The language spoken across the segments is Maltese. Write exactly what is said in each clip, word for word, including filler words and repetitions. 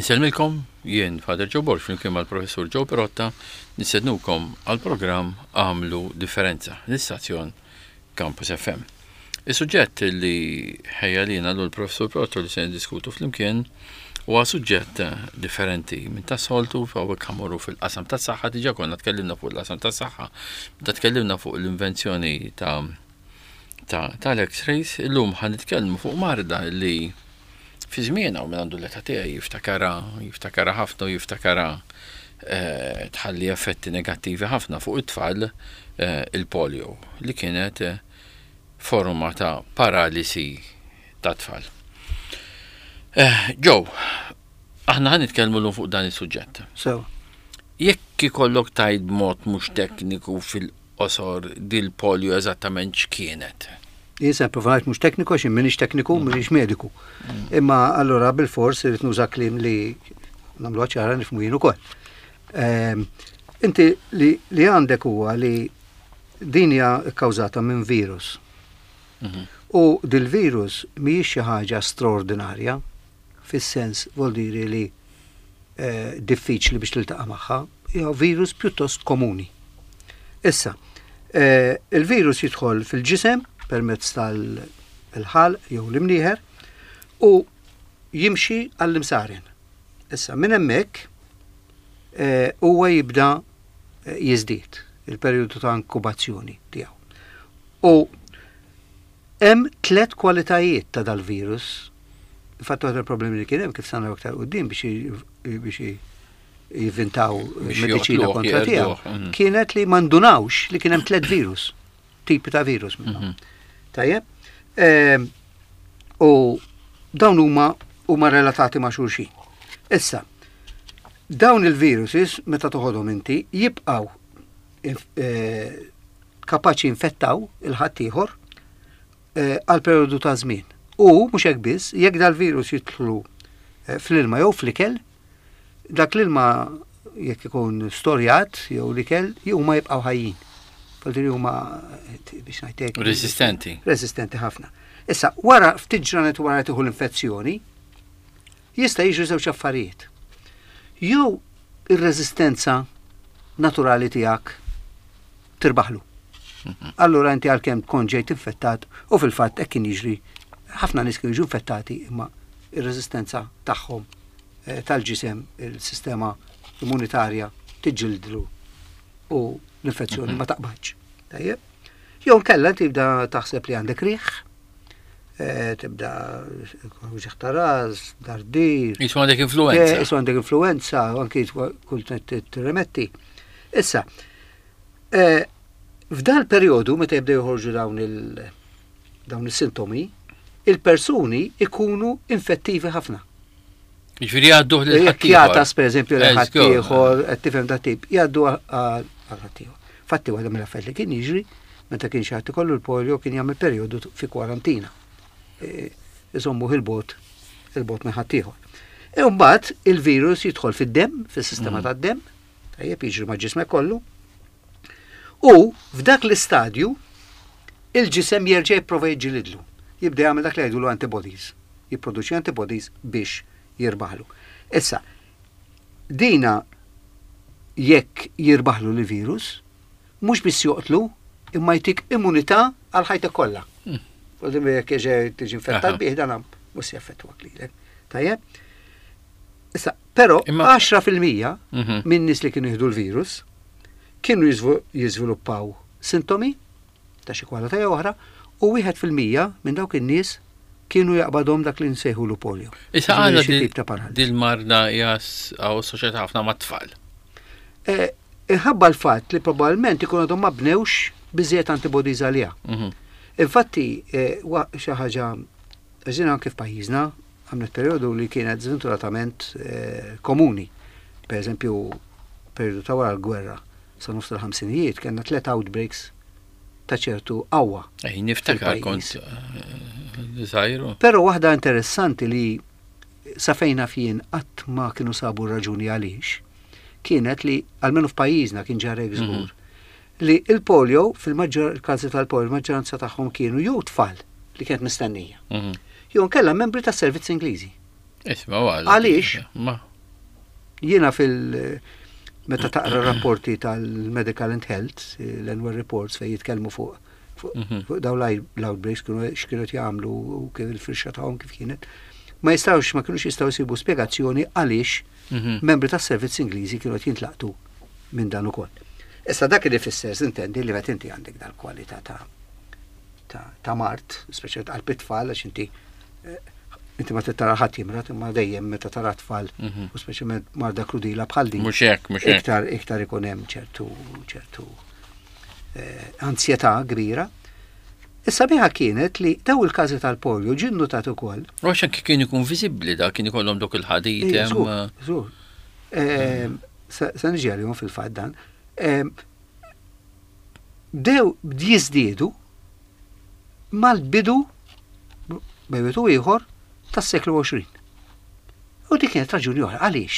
Insellmilkom, jien Father Joe Borg flimkien mal-Professur Joe Perotta nistednukom għal programm Għamlu Differenza, l-istazzjon Campus F M. Is-suġġett li ħejja lina l-Professur Perotta li se niddiskutu flimkien huwa suġġett differenti minn tas-soltu. Hawnhekk ħa mmorru fil-qasam tas-saħħa. Diġà konna tkellimna fuq il-qasam tas-saħħa, meta tkellimna fuq l-invenzjoni ta' tal-X-rays. Illum ħa nitkellmu fuq marda li fi żmienha, u minn għandu l-età tiegħi jiftakara, jiftakara ħafna u jiftakara eh, tħalli effetti negattivi ħafna fuq it-tfal, eh, il-polio, li kienet eh, forma ta' paralisi ta' tfal. Joe, aħna ħa nitkellmu llum fuq dan is-suġġett. So. Jekk ikollok tgħid b'mod mhux tekniku, fil-qosor, dil-polio eżattament x'kienet? Jien se provajt mhux tekniku għax m'iniex tekniku, m'iniex mediku. Imma allura bil-fors irid nuża kliem li nagħmlu ċara nifhmu jien ukoll. Ehm, inti li, li għandek huwa li din hija kkawżata minn virus. Mhm. U dil-virus mhijiex xi ħaġa straordinarja, fis-sens vuol dire li eh, diffiċli biex tiltaqa' magħha, hija virus pjuttost komuni. Issa, eh, il-virus jidħol fil-ġisem permezz tal-ħalq jew l-imnieħer u jimxi għall-imsaren. Issa, minn hemmhekk eh, huwa jibda eh, jiżdied il-perjodu ta' inkubazzjoni tiegħu. U hemm tliet kwalitajiet ta' dal-virus. Infatti waħda il-problemi li kien hemm, kif sa naraw aktar quddiem, biex biex jivvintaw Biex mediċina joqtluh, kontra tiegħu, jeqirduh, mhm. kienet li ma ndunawx li kien hemm tliet virus, tipi ta' virus minnhom. Mhm. Tajjeb? Ehm, U dawn huma huma relatati ma' xulxin. Issa, dawn il-viruses meta toħodhom inti jibqgħu inf- eh, kapaċi infettaw il-ħaddieħor eh, għal periodu ta' żmien. U mhux hekk biss, jekk dal-virus jidħlu eh, fl-ilma jew fl-ikel, dak l-ilma jekk ikun storjat jew l-ikel, huma jibqgħu ħajjin. Vuol huma eh, biex ngħidlek Resistenti. Resistenti ħafna. Issa, wara ftit ġranet wara tieħu l-infezzjoni, jista' jiġu żewġ affarijiet. Jew ir-reżistenza naturali tiegħek tirbaħlu. Allura inti għalkemm tkun ġejt infettat, u fil-fatt hekk kien jiġri, ħafna nies kienu jiġu infettati imma ir-reżistenza tagħhom eh, tal-ġisem, il-sistema immunitarja tiġġildlu u l-infezzjoni ma taqbadx. Tajjeb? Jew nkella tibda taħseb li għandek riħ, eh, tibda uġigħ ta' ras, dardir. Qisu għandek influenza. Qisu għandek influenza, u anki kull tirremetti. Issa, eh, f'dal periodu meta jibdew joħorġu dawn il- dawn is-sintomi, il-persuni ikunu infettivi ħafna. Ġifieri jgħadduh lil Jekk ħaddieħor. jagħtas, per eżempju, Eżgur. ħaddieħor, qed tifhem, dat tip, jgħaddu għal ħaddieħor. Fatti waħda mill-affarijiet li kien jiġri meta kien xi ħadd ikollu l-polio kien jagħmel perjodu fi kwarantina. E, Iżommu il-bogħod il-bogħod minn ħaddieħor. E mbagħad il-virus jidħol fid-demm, fis-sistema tad-demm, tajjeb, jiġri ma' ġismek kollu. U f'dak l-istadju il-ġisem jerġa' jipprova jiġġilidlu. Jibda jagħmel dak li jgħidulu antibodies. Jipproduċi antibodies biex jirbaħlu. Issa, dina jekk jirbaħlu l-virus, mhux biss joqtlu, imma jtik immunità għal ħajtek kollha. Mm. Jekk tiġi infettat Aha. bih, dan mhux se jaffettwak lilek. Tajjeb? Issa, però Imma- għaxra fil-mija Mhm. minn nies li kienu jieħdu l-virus kienu jiżvu- jiżviluppaw sintomi ta' xi kwalità jew oħra u wieħed fil-mija minn dawk in-nies kienu jaqbadhom dak li nsejħulu polio. Issa Ġifieri għala xi tip ta' paralisi. dil-marda hija assoċjata ħafna mat-tfal? Eh, Inħabba l-fatt li probabbilment ikun għadhom ma bnewx biżejjed antibodies għaliha. Mhm. Infatti, eh, wa- xi ħaġa għażina anke f'pajjiżna għamlet perjodu li kienet żventuratament eh, komuni. Per eżempju, perjodu ta' wara l-gwerra sa nofs tal-ħamsinijiet kellna tliet outbreaks ta' ċertu qawwa. Ej, niftakar Fil-pajjiż. kont eh, żgħir. Però waħda interessanti li sa fejna fien qatt ma kienu sabu raġuni għaliex, kienet li almenu f'pajjiżna kien ġara hekk żgur, li il-polio, fil-maġġor il-każi tal-polio, il-maġġoranza tagħhom kienu jew tfal li kienet mistennija, Mhm. jew nkella membri tas servizz Ingliżi. Isma' għal. Għaliex? Ma. Jiena fil- meta taqra rapporti tal-Medical and Health, l-annual reports fejn jitkellmu fuq fuq Mhm. fuq daw l-outbreaks kienu x'kienu jagħmlu u kif il-firxa tagħhom kif kienet. Ma jistgħux, ma kinux jistgħu jsibu spjegazzjoni għaliex Mhm. membri tas-servizz Ingliżi kienu qed jintlaqtu minn dan ukoll. Issa dak li fisser intendi li meta inti għandek dal-kwalità ta' ta' ta' mard, speċjalment għal tfal, għax inti eh, inti ma tara ħadd jimrad, imma dejjem meta tara tfal Mhm. u speċjalment marda krudila bħal din. Mhux hekk, mhux hekk. Iktar iktar ikun hemm ċertu ċertu eh, ansjetà kbira. Issa biħa kienet li daw il-każi tal-polio ġie nnotat ukoll. U għax anki kien ikun viżibbli da, kien ikollhom dok il-ħadid Ej, hemm. żgur, żgur. Ehm, Sa sa niġi għalihom fil-fatt dan. Ehm, Bdew jiżdiedu mal-bidu bejn wieħed u ieħor tas-seklu għoxrin. U dik kienet raġuni oħra, għaliex?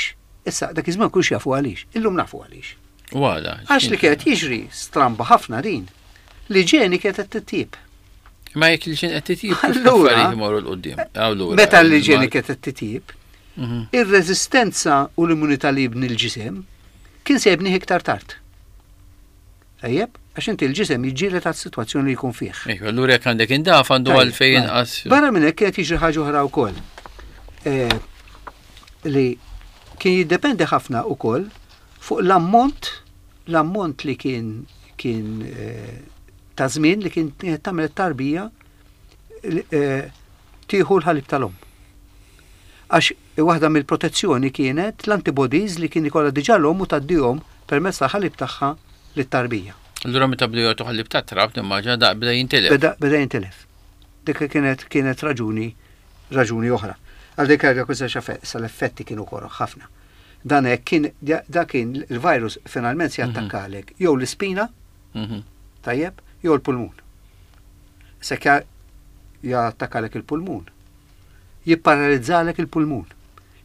Issa dak iż-żmien kulx jafu għaliex, illum nafu għaliex. U għala. Għax li kienet jiġri stramba ħafna din, l-iġeni kienet qed titjib. Ma jekk l-iġeni qed titjib, kif Allura- l-affarijiet imorru 'l quddiem? Allura. Meta l-iġeni kienet qed titjib, Mhm. ir-reżistenza u l-immunità li jibni l-ġisem kien se jibnih iktar tard. Tajjeb, għax inti l-ġisem jiġġieled għas-sitwazzjoni li jkun fih. Ejja, allura jekk għandek indaf għandu Tajjeb, għalfejn mela. inqas. Barra minn hekk kienet jiġri ħaġa oħra wkoll. Eh, li kien jiddependi ħafna wkoll fuq l-ammont l-ammont li kien kien eh, ta' żmien li kien kienet tagħmel it-tarbija li, eh, tieħu l-ħalib tal-omm. Għax waħda mill-protezzjoni kienet l-antibodies li kien ikollha diġà l-omm u tgħaddihom permezz ta' ħalib tagħha lit-tarbija. Allura meta bdew jagħtu ħalib ta' trab, nimmaġina da beda jintilef. Beda, beda jintilef. Dik kienet kienet raġuni raġuni oħra. Għal dik għal kull sa l-effetti kienu koroh ħafna. Dan hekk kien da kien il-virus finalment se jattakkalek jew l-ispina, Mhm. tajjeb, jew l-pulmun. Se jattakkalek il-pulmun, jipparalizzalek il-pulmun.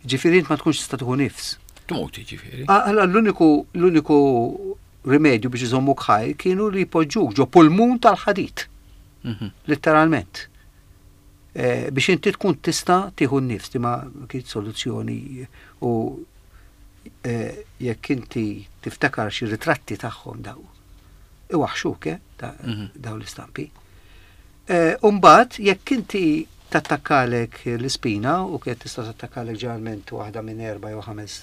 Ġifieri int ma tkunx tista' tieħu nifs. Tmut ġifieri. Allora l-uniku l-uniku rimedju biex iżommuk ħaj kienu li jpoġġuk ġo pulmun tal-ħadid. Mhm. Letteralment. Eh, biex inti tkun tista' tieħu n-nifs, di ma kienet soluzzjoni u eh, jekk inti tiftakar xi ritratti tagħhom daw. Iwaħxuk, eh, da- Mhm. daw l-istampi. Eh, Umbagħad jekk inti tattakkalek l-ispina u kienet tista' tattakkalek ġeneralment waħda minn erba' jew ħames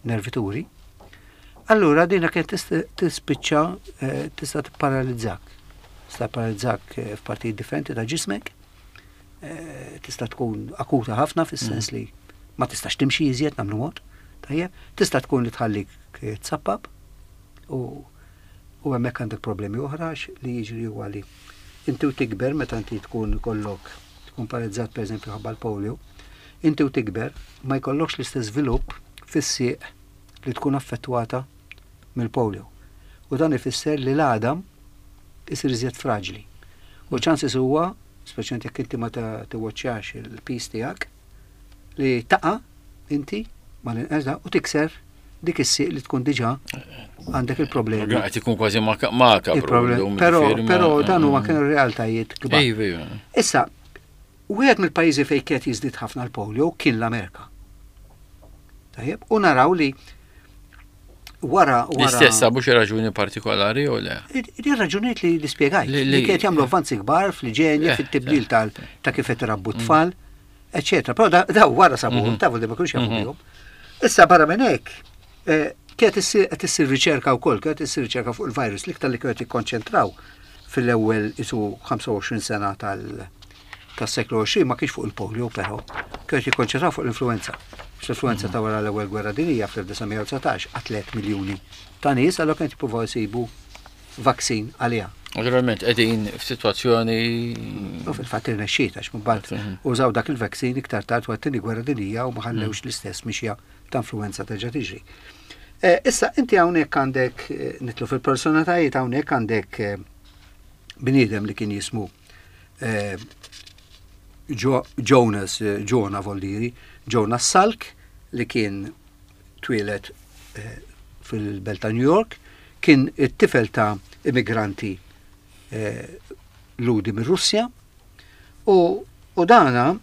nervituri, allura dina kienet tista' tispiċċa eh, tista' tipparalizzak. Tista' paralizzak eh, f'partijiet differenti ta' ġismek, eh, tista' tkun akuta ħafna fis-sens li ma tistax timxi iżjed nagħmlu mod, tajjeb, tista' tkun li tħallik eh, tsappap u u hemmhekk għandek problemi oħra għax li jiġri huwa li inti u tikber meta inti tkun kollok tkun paralizzat pereżempju ħabba l-polio, inti u tikber ma jkollokx l-istess żvilupp fis-sieq li tkun affettwata mill-polio. U dan ifisser li l-għadam isir iżjed fraġli. U ċansis huwa, speċjalment jekk inti ma ta- tiwaċċjax il-pis tiegħek, li taqa' inti mal-inqas u tikser dik is-sieq li tkun diġà għandek il-problemi. Qed ikun kważi makabru. Il-problemi. Però però dan huma kienu realtajiet kbar. Ejja, ejja. Issa, wieħed mill-pajjiżi fejn kienet jiżdied ħafna l-polio kien l-Amerika. Tajjeb, u naraw li wara wara L-istess sabu xi raġuni partikolari jew le? Di raġunijiet li li spjegajt, Li- li li- kienet jagħmlu avvanzi kbar fl-iġenja, Eh, fit-tibdil eh, tal ta' kif qed irabbu t-tfal, eċetera. Però da da wara sabu, Mhm. tafu li ma kinux jafu Mhm. bihom. Issa barra minn hekk, eh, kienet issir qed issir riċerka wkoll, kienet issir riċerka fuq il-virus, l-iktar li kienet jikkonċentraw fil-ewwel isu ħamsa u għoxrin sena tal tas-seklu għoxrin ma kienx fuq il-polio però, kienet jikkonċentraw fuq l-influenza. L-influenza ta' wara l-ewwel gwerra dinjija fl-elf disa' mija u dsatax qatlet miljuni ta' nies, allura kienet jippruvaw jsibu vaccine għaliha. Naturalment qegħdin f'sitwazzjoni U fil-fatt irnexxiet għax mbagħad Mhm. użaw dak il-vaccine iktar tard wara t-tieni gwerra dinjija u ma ħallewx l-istess mixja ta' influenza terġa' tiġri. Eh, Issa inti hawnhekk għandek eh, nitlu fil-personalitajiet, hawnhekk għandek eh, bniedem li kien jismu eh, Jo- Jonas, eh, Jonah Voldiri, Jonas Salk, li kien twieled eh, fil-belt ta' New York, kien it-tifel ta' immigranti eh, Lhudi mir-Russja, u, u dana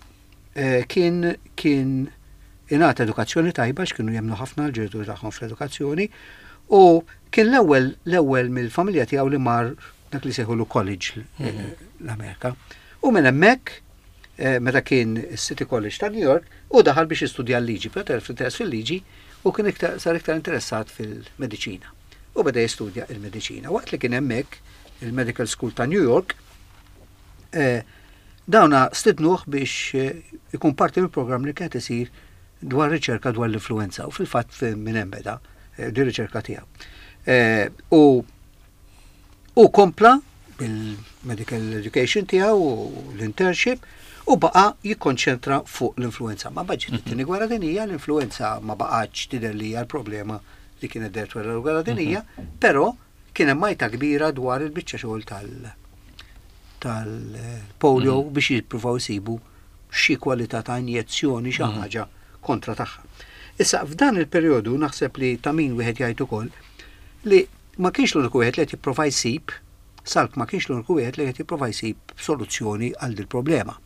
eh, kien kien Ingħata edukazzjoni tajba, x'kienu jemmnu ħafna l-ġenituri tagħhom fl-edukazzjoni, u kien l-ewwel l-ewwel mill-familja tiegħu li mar dak li sejħulu college eh, l-Amerika. U minn hemmhekk, eh, meta kien City College ta' New York, u daħal biex jistudja l-liġi, però telef interess fil-liġi u kien iktar, sar iktar interessat fil-mediċina. U beda jistudja il-mediċina. Waqt li kien hemmhekk il-Medical School ta' New York, eh, dawna stidnuh biex eh, ikun parti mill programm li kienet isir dwar riċerka dwar l-influenza u fil-fatt minn hemm beda eh, di riċerka tiegħu. Eh, U u kompla bil-medical education tiegħu u l-internship u baqa jikkonċentra fuq l-influenza. Ma ġiet it-tieni gwerra dinija, l-influenza ma baqgħetx tidher li hija l-problema li kienet dehret wara l-gwerra dinija, però kien hemm għajta kbira dwar il-biċċa xogħol tal- tal-polio biex jippruvaw jsibu xi kwalità ta' injezzjoni, xi ħaġa kontra tagħha. Issa, f'dan il-perjodu naħseb li ta' min wieħed jgħid ukoll li ma kienx l-uniku wieħed li qed jipprova jsib, Salk ma kienx l-uniku wieħed li qed jipprova jsib soluzzjoni għal dil problema.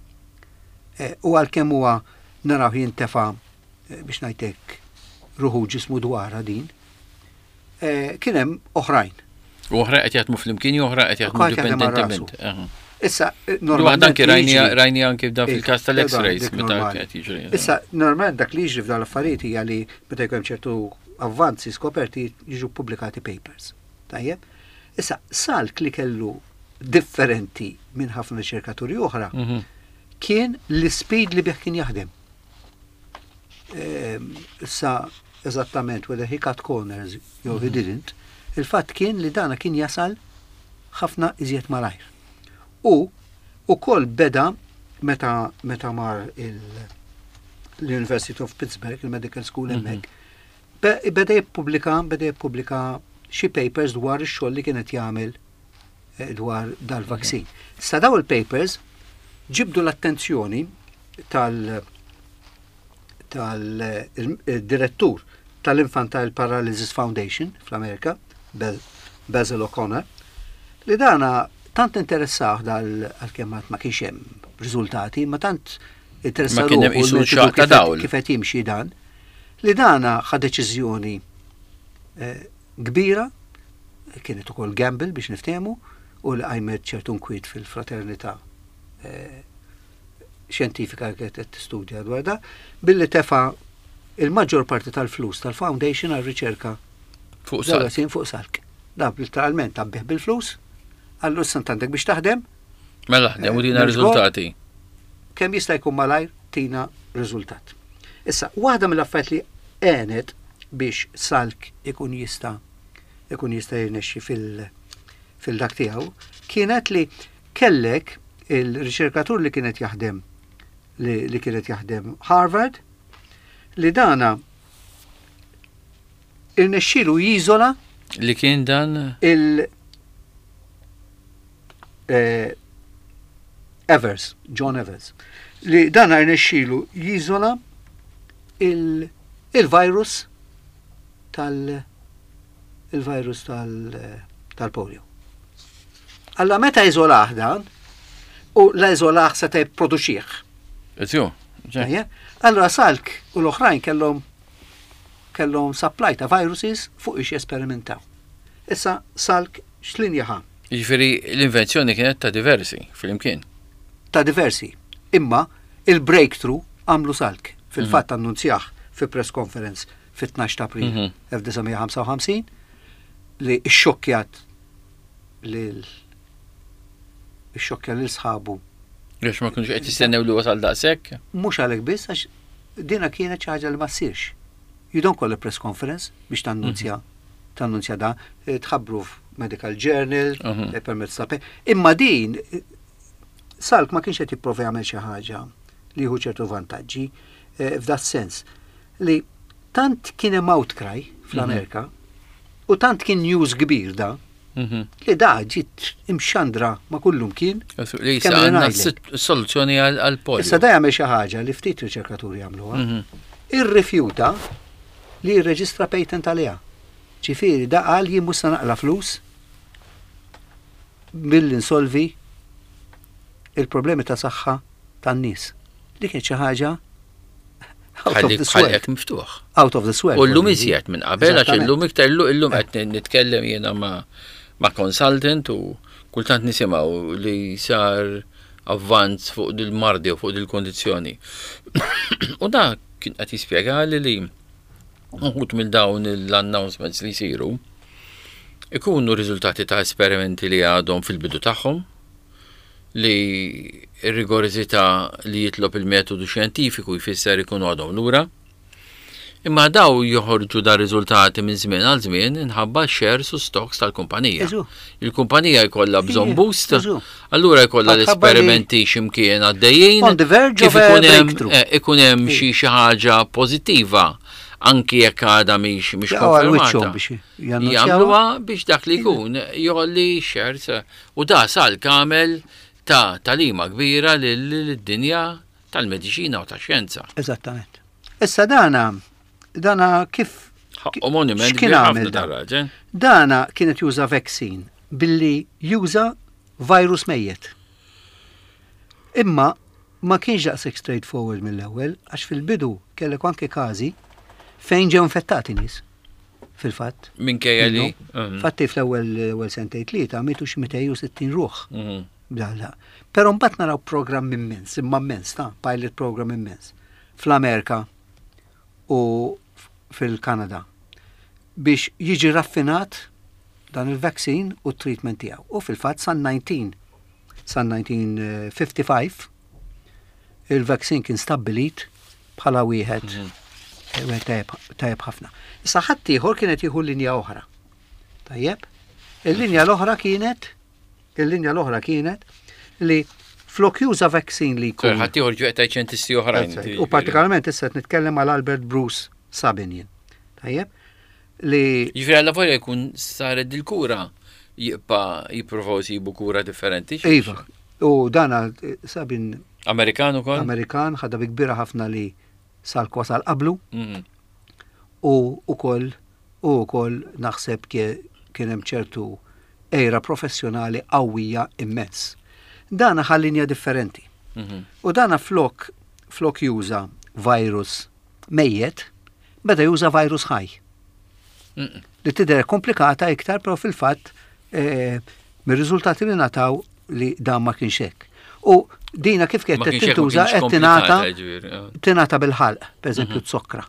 Eh, U għalkemm huwa naraw jintefa' eh, biex ngħidlek ruħu ġismu dwarha din, eh, kien hemm oħrajn. U oħra qed jaħdmu flimkien u oħra qed jaħdmu Kulħadd jaħdem għal rasu. indipendentement. Aha. Issa, eh, Normalment normalment anki rajni jiġri- rajni anki f'dan Eh, fil-każ tal-X-rays dik meta normali. qed jiġri. Issa, normalment dak li jiġri f'dan l-affarijiet hija li meta jkun hemm ċertu avvanzi skoperti jiġu pubblikati papers. Tajjeb? Issa, Salk li kellu differenti minn ħafna riċerkaturi oħra Mhm. kien l-speed li bih kien jaħdem. Ehm, Issa, eżattament, whether he cut corners jew he didn't, il-fatt kien li dana kien jasal ħafna iżjed malajr. U ukoll beda meta meta mar il l-University of Pittsburgh, il-Medical School hemmhekk, be- beda jippubblika beda jippubblika xi papers dwar ix-xogħol li kienet jagħmel eh, dwar dal-vaccine. Sa daw il-papers ġibdu l-attenzjoni tal tal-direttur tal-Infantile Paralysis Foundation fl-Amerika, Be- Basil O'Connor, li dana tant interessah dal għalkemm ma kienx hemm riżultati, ma tant interessa Ma kien hemm ruħu qisu l-metodu xaq ta' kif qed- dawl. kif qed jimxi dan, li dana ħa deċiżjoni eh, kbira, kienet ukoll gamble biex niftehmu, u li qajmet ċertu nkwiet fil-fraternità eh, xjentifika li kienet qed tistudja dwar da, billi tefa il-maġġor parti tal-flus tal-foundation għal riċerka Fuq Salk. Salk. Fuq Salk. Da literalment għabbih bil-flus, għallu issa għandek biex taħdem, Mela ħdem u tina Eh, riżultati. kemm jista' jkun malajr tina riżultat. Issa, waħda mill-affarijiet li għenet biex Salk ikun jista' ikun jista' jirnexxi fil fil-dak tiegħu kienet li kellek il-riċerkatur li kienet jaħdem li, li kienet jaħdem Harvard, li dana irnexxielu jiżola Li kien dan il eh, Evers, John Evers, li dan rnexxielu jiżola il- il-virus tal il-virus tal tal-polio. Alla meta iżolah dan, u la iżolah seta' jipproduċih. Eżju. Ejja? Allora Salk u l-oħrajn kellhom kellhom supply ta' viruses fuq ix jesperimentaw. Issa Salk x'linja ħa? Jiġifieri l-invenzjoni kienet ta' diversi fil-imkien. Ta' diversi. Imma il-breakthrough għamlu Salk. Fil-fatt annunzjah fi press conference fit-tnax ta' April Mhm. elf disa' mija ħamsa u ħamsin li xxokkjat lil xxokkja lil sħabu. Għax ma kienux qed jistennew li wasal daqshekk. Mhux għalhekk biss, għax dina kienet xi ħaġa li ma ssirx. You don't call a press conference biex tannunzja tannunzja da, eh, tħabbru f'medical journal, Mhm. eh, permezz ta' pe- Imma din eh, Salk ma kienx qed jipprova jagħmel xi ħaġa li jieħu ċertu vantaġġi eh, f'dat sens li tant kien hemm outcry fl-Amerika u tant kien news kbir da Mhm. li da ġiet imxandra ma kullum kien. Li issa Kemm li għandna ngħidlek. s- soluzzjoni għal polio. Issa da jagħmel xi ħaġa li ftit riċerkaturi jagħmluha. Mhm. Irrifjuta li jirreġistra patent għaliha. Ġifieri da qal jien mhux se naqla flus billi nsolvi il-problemi ta' saħħa tan-nies. Dik kienet xi ħaġa Out of this world. Ħalqek miftuħ. Out of this world. U llum iżjed minn qabel, għax illum iktar illum qed nitkellem jiena ma' ma' consultant u kultant nisimgħu li sar avvanz fuq dil-mardi u fuq dil-kondizzjoni. U da kien qed jispjegali li uħud minn dawn l-announcements li jsiru ikunu riżultati ta' esperimenti li għadhom fil-bidu tagħhom, li r-rigorożità li jitlob il-metodu xjentifiku jfisser ikunu għadhom lura. Imma daw joħorġu da riżultati minn żmien għal żmien inħabba shares u stocks tal-kumpanija. Eżu. Il-kumpanija jkollha bżonn Ija, boost, eżu. allura jkollha Għatħabba li- l-esperimenti x'imkien għaddejjin. On the verge Kif of a ikun hemm breakthrough. eh, ikun hemm xi xi ħaġa pożittiva anki jekk għadha mhix mhix Jaqgħu għal wiċċhom konfermata. biex jannunzjawha. Jagħmluha biex dak li jkun jolli shares u da sal kamel ta' talima kbira lid-dinja tal-mediċina u tax-xjenza. Eżattament. Issa dana, dana kif Ħaqqu monument X'kien kbir ħafna għamel dan? dar-raġel. Dana kienet juża vaccine billi juża virus mejjet. Imma ma kienx daqshekk straightforward mill-ewwel għax fil-bidu kellek anke każi fejn ġew infettati nies. Fil-fatt. Minkejja li. Minnu. Fatti fl-ewwel ewwel sentejn tlieta mietu xi mitejn u sittin ruħ. Mhm. Bdalla. Però mbagħad naraw programm immens, imma immens ta' pilot program immens fl-Amerika u f- fil-Kanada biex jiġi raffinat dan il-vaccine u t-treatment tiegħu. U fil-fatt san nineteen san elf disa' mija u ħamsa u ħamsin il-vaccine kien stabbilit bħala wieħed eh, wieħed tajjeb tajjeb ħafna. Issa ħadd ieħor kienet jieħu linja oħra. Tajjeb? Il-linja l-oħra kienet il-linja l-oħra kienet li flok juża vaccine li jkun. Ħadd ieħor ġew qed xjentisti oħrajn. That's right. U partikolarment issa qed nitkellem għal Albert Bruce Sabin jien. Tajjeb? Li Ġifieri alla volja jkun saret dil-kura jibqa' jippruvaw jsibu kura differenti. Iva, u dana eh, Sabin Amerikan ukoll? Amerikan ħadha bi kbira ħafna li Salk wasal qablu Mhm. u ukoll u ukoll naħseb kie- kien hemm ċertu era professjonali qawwija immens. Dana ħa linja differenti. Mhm. U dana flok flok juża virus mejjet, beda juża virus ħaj. Mhm. Li tidher komplikata iktar, però fil-fatt eh, mir-riżultati li nataw li dan ma kienx hekk. U dina kif Ma kienet kienx hekk, ma tintuża kienx qed tingħata komplikata, ġifieri, ah. tingħata bil-ħalq, pereżempju t-sokra.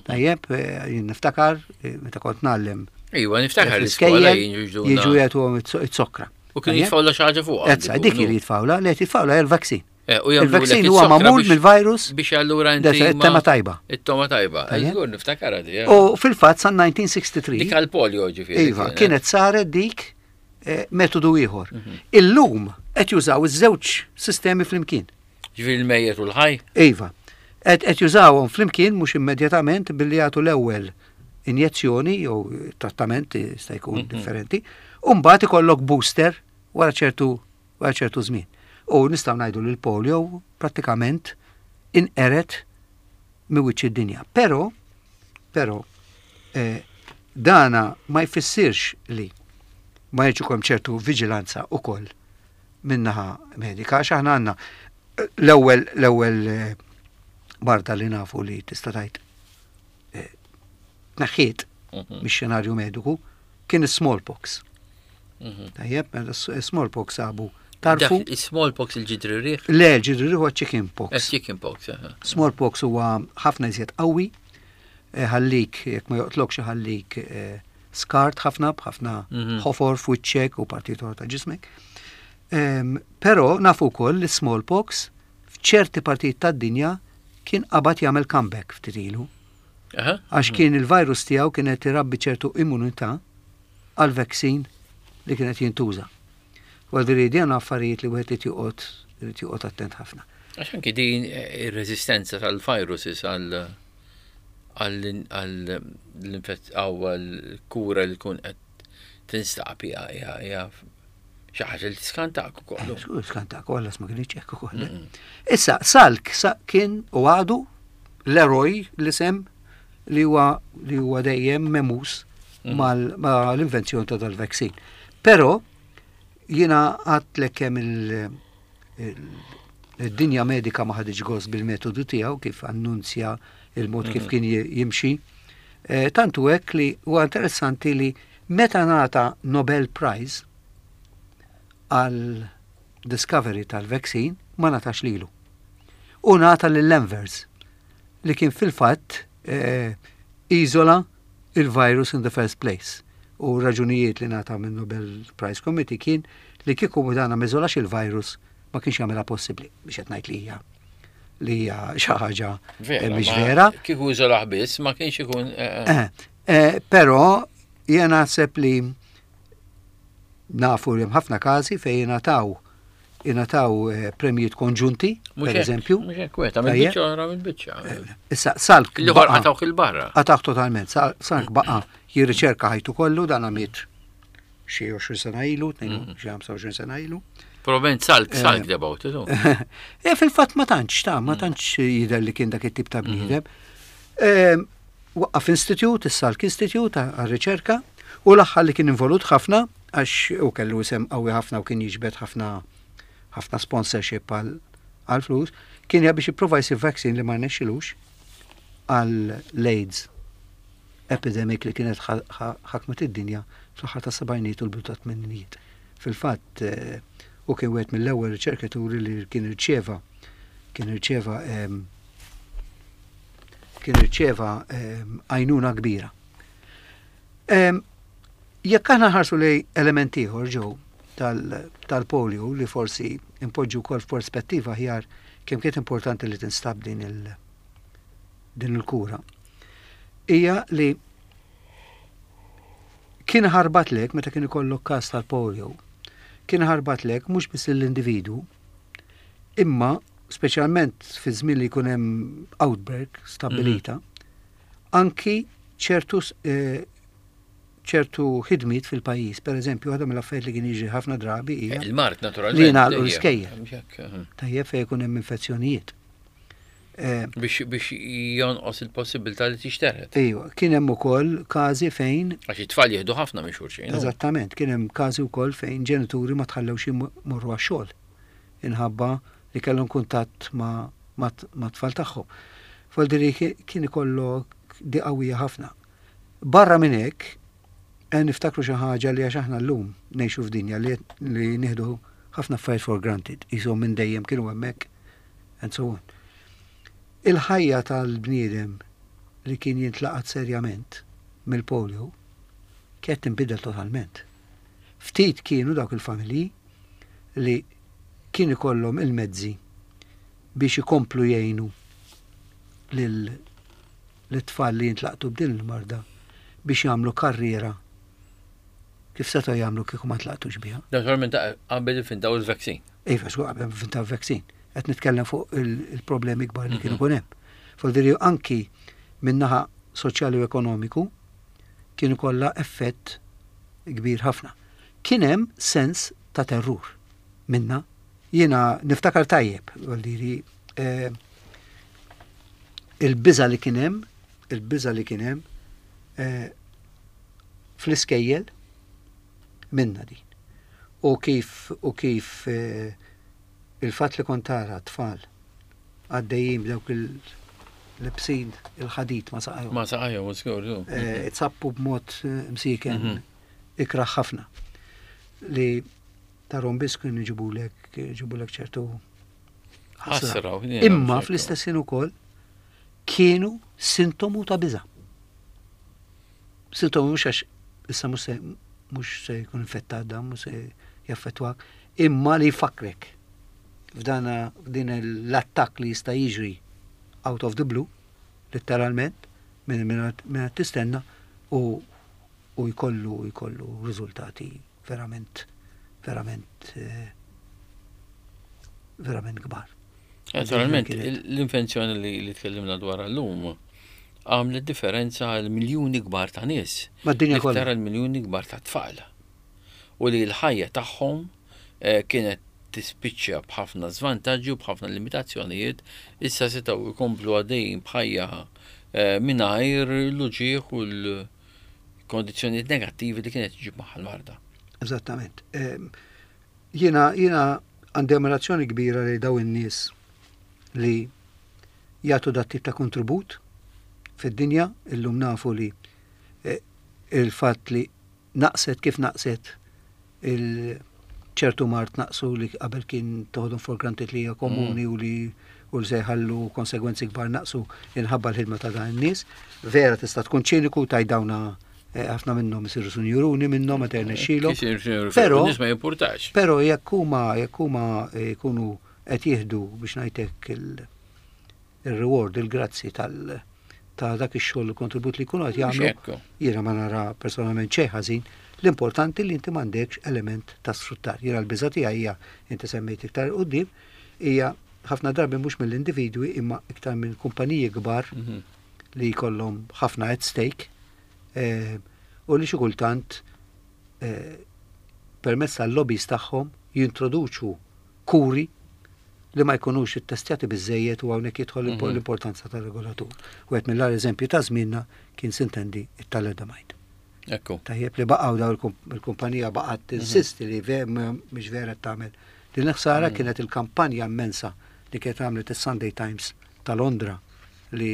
Tajjeb, eh, jien niftakar eh, meta kont ngħallem Iva, niftakar l-iskola fl-iskejjel jiġu jagħtuhom it-sokra. U kienu jitfawla xi ħaġa fuq. Ezza, dik li jitfawla, li qed jitfawla hija l-vaccine. Eh, U jagħmlu Il-vaccine lek huwa it-sokra magħmul biex- mill-virus Biex allura inti. it-tema ma- tajba. It-toma tajba. Tajjeb. Żgur niftakar di. eh. U fil-fatt san elf disa' mija u tlieta u sittin Dik għal-polio ġifieri. Iva, kienet saret dik eh, metodu ieħor. Illum qed jużaw iż-żewġ sistemi flimkien. Ġifieri il-mejjet u l-ħaj. Iva, qed qed jużawhom flimkien mhux immedjatament billi jagħtu l-ewwel injezzjoni jew trattament jista' jkun differenti, u mbagħad ikollok booster wara ċertu wara ċertu żmien. U nistgħu ngħidu li l-polio prattikament inqeret minn wiċċ id-dinja. Però, però, eh, dana ma jfissirx li ma jridx ikun ċertu viġilanza ukoll minnaħa medika, għax aħna għandna eh, l-ewwel l-ewwel eh, marda li nafu li tista' tgħid eh, tneħħiet Mhm. mix-xenarju mediku kien is-smallpox. Mhm. Tajjeb, mela s-smallpox sabu tarfu. Dak Smallpox il-ġidri riħ. Le, l-ġidri huwa chicken pox. Chicken pox. aha. Smallpox huwa ħafna iżjed qawwi, eh, ħallik, jekk ma joqtlokx ħallik eh, skart ħafna b'ħafna Mhm. ħofor f'wiċċek u partijiet oħra ta' ġismek. Em, Però nafu wkoll li smallpox f'ċerti partijiet tad-dinja kien qabad jagħmel comeback ftit ilu. Aha. Għax kien il-virus tiegħu kienet irabbi ċertu immunità għal vaccine li kienet jintuża. Għal din affarijiet li wieħed irid joqgħod irid joqgħod attent ħafna. Għax anki din eh, ir-reżistenza tal-viruses għal għal l-infett għal kura li tkun qed tinstab hija hija hija xi ħaġa li tiskantak ukoll. Skur skantak, għallas ma kienx hekk ukoll. Issa, Salk sa kien u għadu l-eroj li sem li huwa li huwa dejjem memus mal-invenzjoni ta' dal-vaccine. Però jiena għadtlek kemm il- il- Id-dinja medika ma ħaditx gost bil-metodu tiegħu kif annunzja il-mod kif kien jimxi. Eh, tantu hekk li huwa interessanti li meta ngħata Nobel Prize għal discovery tal-vaccine ma ngħatax lilu. U ngħata lil Envers li kien fil-fatt eh, iżola il-virus in the first place. U raġunijiet li ngħata minn Nobel Prize Committee kien li kieku dana m'żolax il-virus ma kienx jagħmilha possibbli biex qed ngħid li hija li hija xi ħaġa eh, mhix vera. Kieku iżolah biss ma kienx ikun. Eh, eh, però jiena naħseb li nafu li hemm ħafna każi fejn jingħataw jingħataw premjijiet konġunti, per eżempju. Mhux hekk, wieħed mill-biċċa oħra mill-biċċa. Issa Salk. L-ieħor qatgħuh 'il barra. Qatgħuh totalment. Salk baqa' jirriċerka ħajtu kollu, dan miet xi għoxrin sena ilu, xi ħamsa u għoxrin sena ilu. Probablement Salk, Salk about it. E fil-fatt ma tantx ta' ma tantx jidher li kien dak it-tip ta' bniedem. Waqqaf institute, is-Salk Institute għar-riċerka, u l-aħħar li kien involut ħafna, għax u kellu isem qawwi ħafna u kien jiġbed ħafna ħafna sponsorship għal flus, kien biex jipprova jsib vaccine li ma rnexxilux għal AIDS epidemic li kienet ħakmet id-dinja fl-aħħar ta' sebgħinijiet u l-bidu ta' tmeninijiet. Fil-fatt, u kien wieħed mill-ewwel riċerkaturi li kien irċeva kien irċeva kien irċeva għajnuna kbira. Jekk aħna nħarsu lejn element ieħor ġew tal-polio li forsi impoġġu wkoll f'perspettiva aħjar kemm kienet importanti li tinstab din il din il-kura. Hija li kien ħarbat lek meta kien ikollok każ tal-polio, kien ħarbat lek mhux biss l-individu, imma speċjalment fi żmien li jkun hemm outbreak stabbilita, anki ċertu eh, ċertu ħidmiet fil-pajjiż. Per eżempju, għadha mill-affarijiet li kien jiġri ħafna drabi hija Il-mard naturalment. li jingħalqu l-iskejjel. Mhux Tajjeb, fejn jkun hemm infezzjonijiet. Eh, Biex biex jonqos il-possibilità li tixteret. Ejwa, kien hemm ukoll każi fejn Għax it-tfal jieħdu ħafna minn xulxin. Eżattament, kien hemm każi wkoll fejn ġenituri ma tħallewx imorru għax-xogħol inħabba li kellhom kuntatt ma' ma' tfal tagħhom. Voldiri kien ikollok di qawwija ħafna. Barra minn hekk, eh, niftakru xi ħaġa li għax aħna llum ngħixu f'dinja li, li nieħdu ħafna affarijiet for granted, qishom minn dejjem kienu hemmhekk and so on. Il-ħajja tal-bniedem li kien jintlaqat serjament mill-polio kienet tinbidel totalment. Ftit kienu dawk il-familji li kien ikollhom il-mezzi biex ikomplu jgħinu lil l-tfal li jintlaqtu b'din il-marda biex jagħmlu karriera kif setgħu jagħmlu kieku ma tlaqtux biha. Naturalment qabel ivvintaw il-vaccine. Iva, xu qabel ivvintaw vaccine. Qed nitkellem fuq il-problemi kbar li kienu kun hemm. Voldiri anki min-naħa soċjali u ekonomiku kienu kollha effett kbir ħafna. Kien hemm sens ta' terrur minna. Jiena niftakar tajjeb, voldiri eh, il-biża li kien hemm, il-biża li kien hemm eh, fl-iskejjel minna din. U kif u kif eh, il-fatt li kont tara tfal għaddejjin b'dawk il-libsin il-ħadid ma saqajhom. Ma saqajhom, żgur. Eh, Itzappu b'mod eh, msiken Mhm. ikraħ ħafna. Li tarahom biss kienu jġibulek jġibulek ċertu ħasra. Ħasra. Imma fl-istess ħin ukoll kienu sintomu ta' biża. Sintomu mhux għax issa mhux se mhux se jkun infettat dan, mhux se jaffettwak, imma li jfakrek f'dana f'din l-attakk li jista' jiġri out of the blue, letteralment, minn minn minn tistenna u u jkollu jkollu riżultati verament verament eh, verament kbar. Naturalment, Kienet. l-invenzjoni li li tkellimna dwar llum għamlet differenza għal miljuni kbar ta' nies. Mad-dinja kollha. Iktar għal miljuni kbar ta' tfal. U li l-ħajja tagħhom eh, kienet tispiċċa b'ħafna żvantaġġi u b'ħafna limitazzjonijiet, issa setgħu jkomplu għaddejjin b'ħajja eh, mingħajr l-uġigħ u l-kondizzjonijiet negattivi li kienet ġib magħha l-marda. Eżattament. Em, Jiena jiena Għandi ammirazzjoni kbira li daw in-nies li jagħtu dat tip ta' kontribut fid-dinja. Illum nafu li eh, il-fatt li naqset kif naqset il-ċertu mard, naqsu li qabel kien toħodhom for granted li hija komuni mm. u li u li se jħallu konsegwenzi kbar, naqsu inħabba l-ħidma ta' dan in-nies. Vera tista' tkun ċiniku taj dawna eh, ħafna minnhom isiru sinjuruni minnhom meta jirnexxilhom. Però nies ma jimpurtax. Però jekk huma jekk huma eh, jkunu qed jieħdu, biex ngħidlek, il-reward, il-grazzi tal ta' dak ix-xogħol, il-kontribut li jkunu qed jagħmlu, jiena ma nara personalment xejn ħażin. L-importanti li inti m'għandekx element ta' sfruttar. Jiena l-biża' tiegħi hija, inti semmejt iktar quddiem, hija ħafna drabi mhux mill-individwi imma iktar minn kumpaniji kbar mhm. li jkollhom ħafna at stake eh, u li xi kultant eh, permezz tal-lobbies tagħhom jintroduċu kuri li ma jkunux ittestjati biżejjed, u hawnhekk jidħol mhm. l-importanza tal-regolatur. U qed mill eżempju ta' żmienna kien, sintendi, it-thalidomide. Ekku. Tajjeb, li baqgħu daw il-kumpanija baqgħet mhm. tinsisti li mhix vera tagħmel. Din il-ħsara mhm. kienet il-kampanja immensa li kienet għamlet is-Sunday Times ta' Londra, li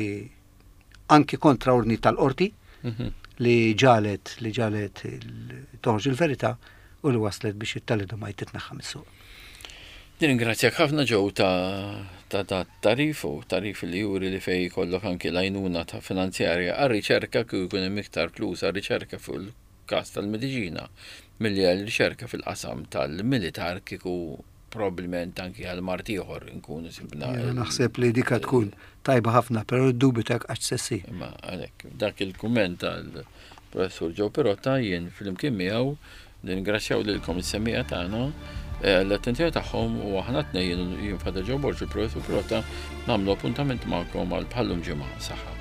anki kontra ordni tal-qorti, li ġalet li ġalet toħroġ il-verità u li waslet biex it-thalidomide titneħħa mis-suq. Nirringrazzjak ħafna, Joe, ta' ta' ta' tagħrif u tagħrif li juri li fej jkollok anki l-għajnuna ta' finanzjarja għar-riċerka, kieku jkun hemm iktar flus għar-riċerka fuq il-każ tal-mediċina milli għal-riċerka fil-qasam tal-militar, kieku probabbilment anki għal mard ieħor nkunu sibna. Naħseb li dika tkun tajba ħafna, però dubju għax sessi. Ma għalhekk, dak il-kumment tal-professur Joe Pirotta, jien flimkien miegħu nirringrazzjaw lilkom is-semmiegħa tagħna eh, l-attenzjoni tagħhom, u aħna tnejn, jien Father Joe Borg, il-professur Pirotta, nagħmlu appuntament magħkom għal bħallum ġimgħa. Saħħa.